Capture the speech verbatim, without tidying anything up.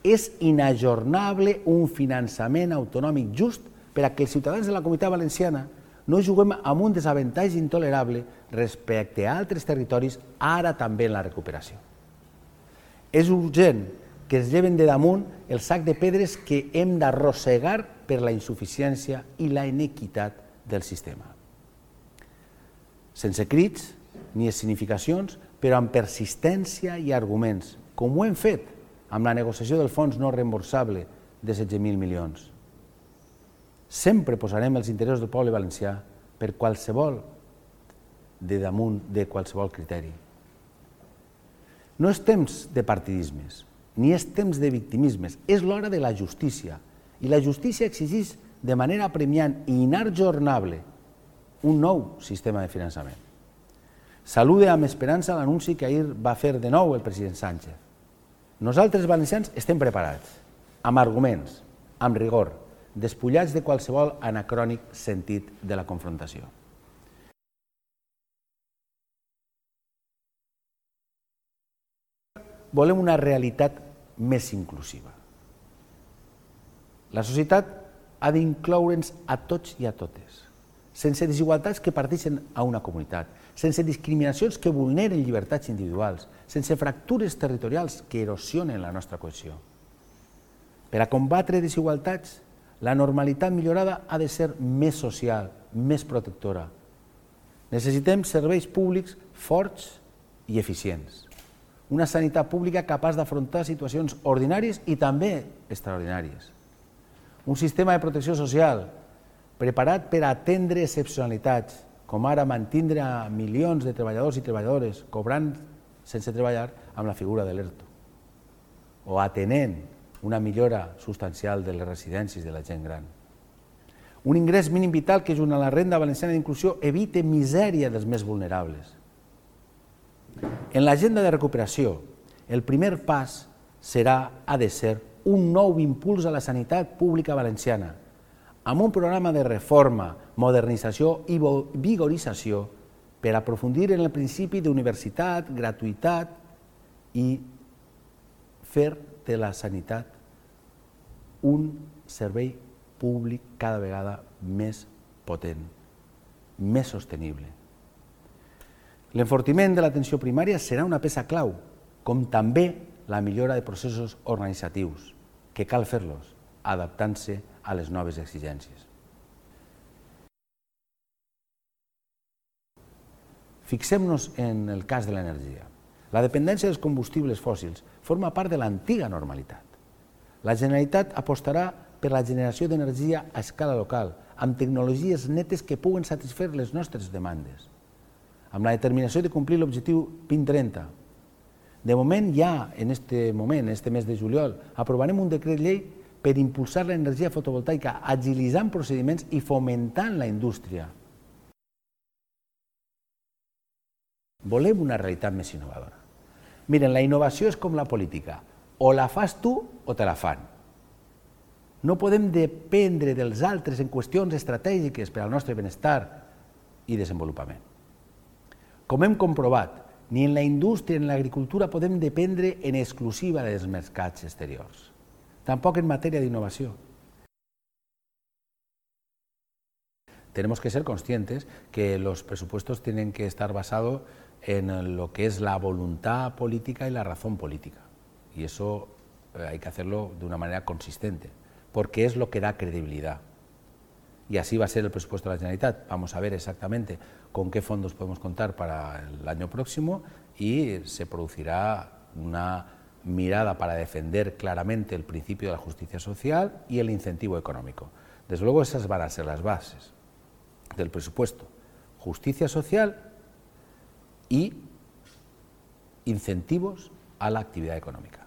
És inajornable un finançament autonòmic just per a que els ciutadans de la Comunitat Valenciana no juguem amb un desavantatge intolerable respecte a altres territoris, ara també en la recuperació. És urgent que es lleven de damunt el sac de pedres que hem d'arrossegar per la insuficiència i la inequitat del sistema. Sense crits ni escenificacions, però amb persistència i arguments, com ho hem fet amb la negociació del fons no reemborsable de setze mil milions. Sempre posarem els interessos del poble valencià per qualsevol de damunt de qualsevol criteri. No és temps de partidismes, ni és temps de victimismes, és l'hora de la justícia. I la justícia exigeix de manera apremiant i inajornable un nou sistema de finançament. Saluda amb esperança l'anunci que ahir va fer de nou el president Sánchez. Nosaltres, valencians, estem preparats, amb arguments, amb rigor, despullats de qualsevol anacrònic sentit de la confrontació. Volem una realitat més inclusiva. La societat ha d'incloure'ns a tots i a totes, sense desigualtats que parteixen a una comunitat, sense discriminacions que vulneren llibertats individuals, sense fractures territorials que erosionen la nostra cohesió. Per a combatre desigualtats, la normalitat millorada ha de ser més social, més protectora. Necessitem serveis públics forts i eficients. Una sanitat pública capaç d'afrontar situacions ordinàries i també extraordinàries. Un sistema de protecció social preparat per atendre excepcionalitats, com ara mantindre a milions de treballadors i treballadores cobrant sense treballar amb la figura de l'ERTO, o atenent una millora substancial de les residències de la gent gran. Un ingrés mínim vital que, junt a la renda valenciana d'inclusió, evite misèria dels més vulnerables. En l'agenda de recuperació, el primer pas serà, ha de ser, un nou impuls a la sanitat pública valenciana, amb un programa de reforma, modernització i vigorització per aprofundir en el principi d'universitat, gratuïtat i fer de la sanitat un servei públic cada vegada més potent, més sostenible. L'enfortiment de l'atenció primària serà una peça clau, com també la millora de processos organitzatius, que cal fer-los, adaptant-se a les noves exigències. Fixem-nos en el cas de l'energia. La dependència dels combustibles fòssils forma part de l'antiga normalitat. La Generalitat apostarà per la generació d'energia a escala local, amb tecnologies netes que puguen satisfer les nostres demandes, amb la determinació de complir l'objectiu vint trenta. De moment, ja en aquest moment, en aquest mes de juliol, aprovarem un decret llei per impulsar l'energia fotovoltaica, agilitzant procediments i fomentant la indústria. Volem una realitat més innovadora. Miren, la innovació és com la política. O la fas tu o te la fan. No podem dependre dels altres en qüestions estratègiques per al nostre benestar i desenvolupament. Com hem comprovat, ni en la indústria ni en l'agricultura podem dependre en exclusiva dels mercats exteriors. Tampoc en matèria d'innovació. Tenemos que ser conscientes que los presupuestos tienen que estar basados en lo que es la voluntad política y la razón política. Y eso hay que hacerlo de una manera consistente, porque es lo que da credibilidad. Y así va a ser el presupuesto de la Generalitat. Vamos a ver exactamente con qué fondos podemos contar para el año próximo y se producirá una mirada para defender claramente el principio de la justicia social y el incentivo económico. Desde luego esas van a ser las bases del presupuesto. Justicia social y incentivos a la actividad económica.